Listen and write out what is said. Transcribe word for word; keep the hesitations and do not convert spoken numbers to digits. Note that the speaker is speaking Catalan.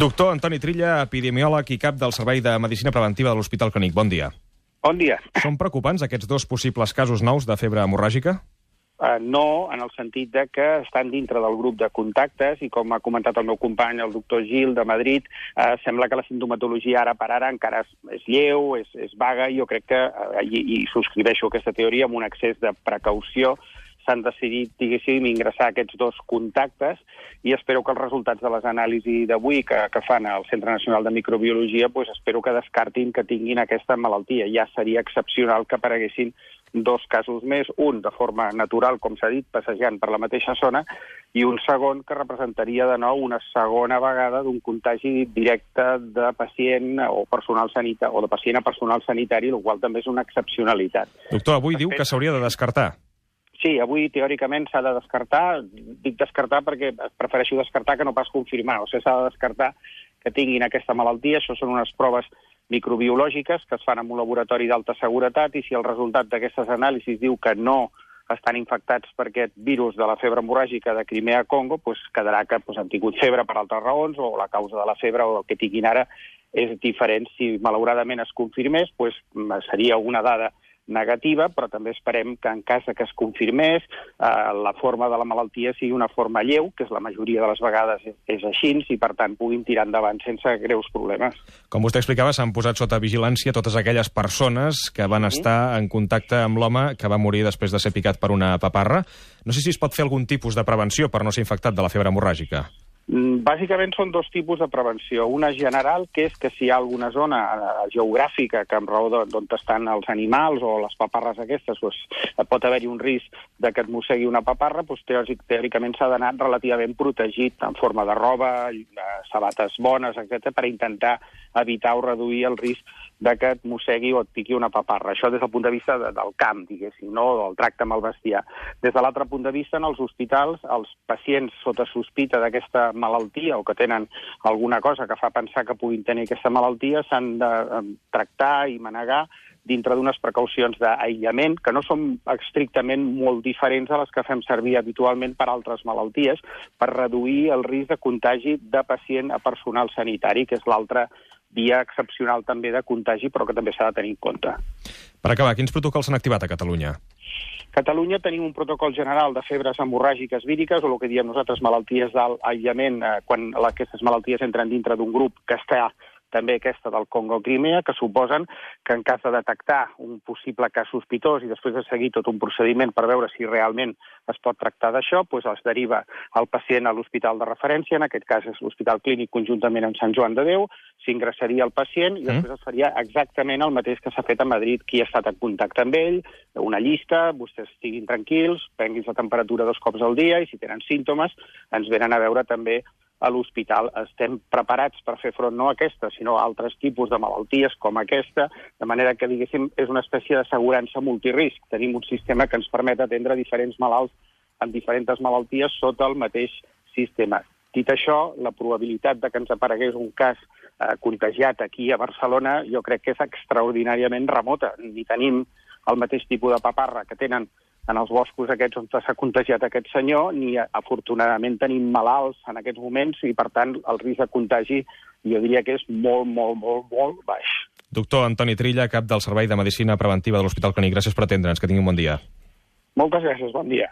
Doctor Antoni Trilla, epidemiòleg i cap del Servei de Medicina Preventiva de l'Hospital Clínic. Bon dia. Bon dia. Són preocupants aquests dos possibles casos nous de febre hemorràgica? Uh, no, en el sentit de que estan dintre del grup de contactes i, com ha comentat el meu company, el doctor Gil, de Madrid, uh, sembla que la sintomatologia ara per ara encara és, és lleu, és, és vaga, i jo crec que, uh, i, i subscriveixo aquesta teoria, amb un excés de precaució s'han decidit, diguéssim, ingressar aquests dos contactes, i espero que els resultats de les anàlisis d'avui que, que fan al Centre Nacional de Microbiologia, pues espero que descartin que tinguin aquesta malaltia. Ja seria excepcional que apareguessin dos casos més, un de forma natural, com s'ha dit, passejant per la mateixa zona, i un segon que representaria de nou una segona vegada d'un contagi directe de pacient o personal sanitari, o de pacient a personal sanitari, el qual també és una excepcionalitat. Doctor, avui diu que s'hauria de descartar. Sí, avui teòricament s'ha de descartar. Dic descartar perquè prefereixo descartar que no pas confirmar. O sigui, s'ha de descartar que tinguin aquesta malaltia. Això són unes proves microbiològiques que es fan en un laboratori d'alta seguretat, i si el resultat d'aquestes anàlisis diu que no estan infectats per aquest virus de la febre hemorràgica de Crimea-Congo, doncs quedarà que doncs, han tingut febre per altres raons, o la causa de la febre o el que tinguin ara és diferent. Si malauradament es confirmés, doncs seria una dada negativa, però també esperem que en cas que es confirmés eh, la forma de la malaltia sigui una forma lleu, que és la majoria de les vegades és, és així, i per tant puguin tirar endavant sense greus problemes. Com vostè explicava, s'han posat sota vigilància totes aquelles persones que van mm-hmm. estar en contacte amb l'home que va morir després de ser picat per una paparra. No sé si es pot fer algun tipus de prevenció per no ser infectat de la febre hemorràgica. Bàsicament són dos tipus de prevenció. Una general, que és que si hi ha alguna zona geogràfica que en raó d'on estan els animals o les paparres aquestes, doncs, pot haver-hi un risc de que et mossegui una paparra, doncs, teòric, teòricament s'ha d'anar relativament protegit en forma de roba, sabates bones, etcètera, per intentar evitar o reduir el risc de que et mossegui o et piqui una paparra. Això des del punt de vista de, del camp, diguéssim, no? Del tracte amb el bestiar. Des de l'altre punt de vista, en els hospitals, els pacients sota sospita d'aquesta malaltia o que tenen alguna cosa que fa pensar que puguin tenir aquesta malaltia s'han de tractar i manegar dintre d'unes precaucions d'aïllament que no són estrictament molt diferents a les que fem servir habitualment per altres malalties, per reduir el risc de contagi de pacient a personal sanitari, que és l'altra via excepcional també de contagi, però que també s'ha de tenir en compte. Per acabar, quins protocols s'han activat a Catalunya? A Catalunya tenim un protocol general de febres hemorràgiques víriques, o el que diem nosaltres malalties d'aïllament, eh, quan aquestes malalties entren dintre d'un grup que està també aquesta del Congo-Crimea, que suposen que en cas de detectar un possible cas sospitós i després de seguir tot un procediment per veure si realment es pot tractar d'això, doncs es deriva el pacient a l'hospital de referència, en aquest cas és l'Hospital Clínic conjuntament amb Sant Joan de Déu, s'ingressaria el pacient i després es faria exactament el mateix que s'ha fet a Madrid, qui ha estat en contacte amb ell, una llista, vostès estiguin tranquils, prenguin la temperatura dos cops al dia i si tenen símptomes ens venen a veure també a l'hospital. Estem preparats per fer front no a aquesta, sinó a altres tipus de malalties com aquesta, de manera que, diguéssim, és una espècie d'assegurança multirisc. Tenim un sistema que ens permet atendre diferents malalts amb diferents malalties sota el mateix sistema. Dit això, la probabilitat de que ens aparegués un cas eh, contagiat aquí a Barcelona jo crec que és extraordinàriament remota. Ni tenim el mateix tipus de paparra que tenen en els boscos aquests on s'ha contagiat aquest senyor, ni afortunadament tenim malalts en aquests moments i, per tant, el risc de contagi jo diria que és molt, molt, molt, molt baix. Doctor Antoni Trilla, cap del Servei de Medicina Preventiva de l'Hospital Clínic. Gràcies per atendre'ns. Que tingui un bon dia. Moltes gràcies. Bon dia.